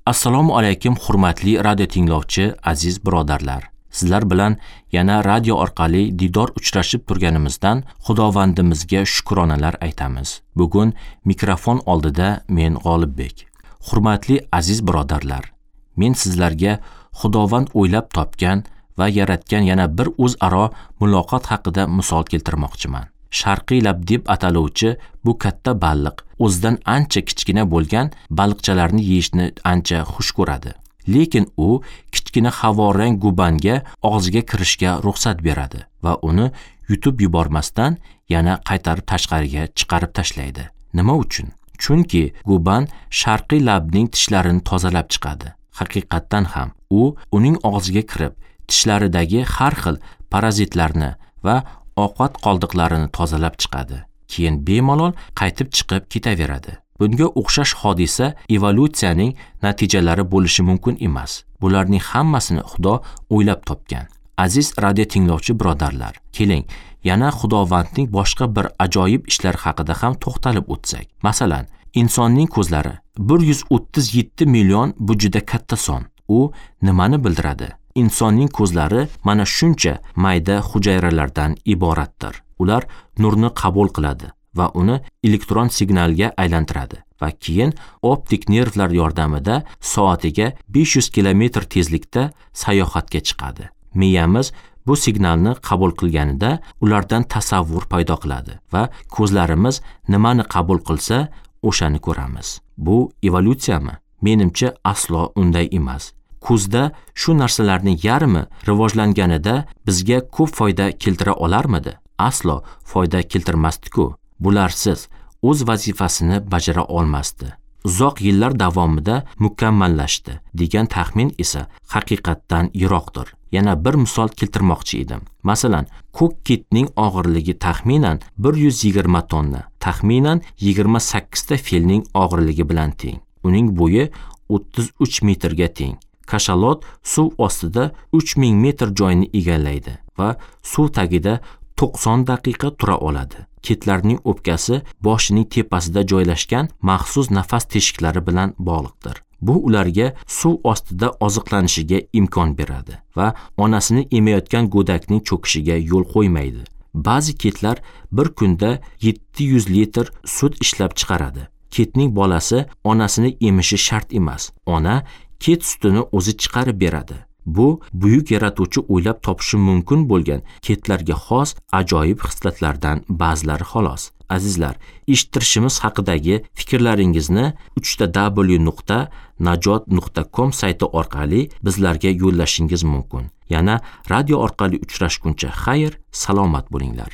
Assalomu alaykum hurmatli radio tinglovchi aziz birodarlar. Sizlar bilan yana radio orqali didor uchrashib turganimizdan Xudovandimizga shukronalar aytamiz. Bugun mikrofon oldida men G'olibbek. Hurmatli aziz birodarlar, men sizlarga Xudovand o'ylab topgan va yaratgan yana bir o'zaro muloqot haqida misol keltirmoqchiman. Sharqiy lab deb ataluvchi bu katta baliq o'zidan ancha kichkina bo'lgan baliqchalarni yeyishni ancha xush ko'radi. Lekin u kichkina havorang gubanga og'ziga kirishga ruxsat beradi va uni yutib yubormasdan yana qaytarib tashqariga chiqarib tashlaydi. Nima uchun? Chunki guban sharqiy labning tishlarini tozalab chiqadi. Haqiqatdan ham u uning og'ziga kirib, tishlaridagi har xil parazitlarni va ovqat qoldiqlarini tozalab chiqadi. Keyin bemalol qaytib chiqib ketaveradi. Bunga o'xshash hodisa evolyutsiyaning natijalari bo'lishi mumkin emas. Bularning hammasini Xudo o'ylab topgan. Aziz radio tinglovchi birodarlar, keling, yana Xudovandning boshqa bir ajoyib ishlar haqida ham to'xtalib o'tsak. Masalan, insonning ko'zlari 137 million, bu juda katta son. U nimani bildiradi? Insonning ko'zlari mana shuncha mayda hujayralardan iboratdir. Ular nurni qabul qiladi va uni elektron signalga aylantiradi va keyin optik nervlar yordamida soatiga 500 kilometr tezlikda sayohatga chiqadi. Miyamiz bu signalni qabul qilganida ulardan tasavvur paydo qiladi va ko'zlarimiz nimani qabul qilsa, o'shani ko'ramiz. Bu evolyutsiyami? Menimcha aslo unday emas. Ko'zda shu narsalarning yarmi rivojlanganida bizga ko'p foyda keltira olarmidi? Aslo foyda keltirmasdi-ku. Bularsiz o'z vazifasini bajara olmasdi. Uzoq yillar davomida mukammallashdi degan taxmin esa haqiqatdan yiroqdir. Yana bir misol keltirmoqchi edim. Masalan, ko'k kitning og'irligi taxminan 120 tonna, taxminan 28 ta filning og'irligi bilan teng. Uning bo'yi 33 metrga teng. Kashalot suv ostida 3000 metr joyni egallaydi va suv tagida 90 daqiqa tura oladi. Kitlarning o'pkasi boshining tepasida joylashgan maxsus nafas teshiklari bilan bog'liqdir. Bu ularga suv ostida oziqlanishiga imkon beradi va onasini emayotgan go'dakning cho'kishiga yo'l qo'ymaydi. Ba'zi kitlar bir kunda 700 litr sut ishlab chiqaradi. Kitning bolasi onasini emishi shart emas. Ona kit sutini o'zi chiqarib beradi. Bu buyuk yaratuvchi o'ylab topishi mumkin bo'lgan kitlarga xos ajoyib xislatlardan ba'zilari xolos. Azizlar, eshittirishimiz haqidagi fikrlaringizni www.najot.com sayti orqali bizlarga yo'llashingiz mumkin. Yana radio orqali uchrashguncha xayr, salomat bo'linglar.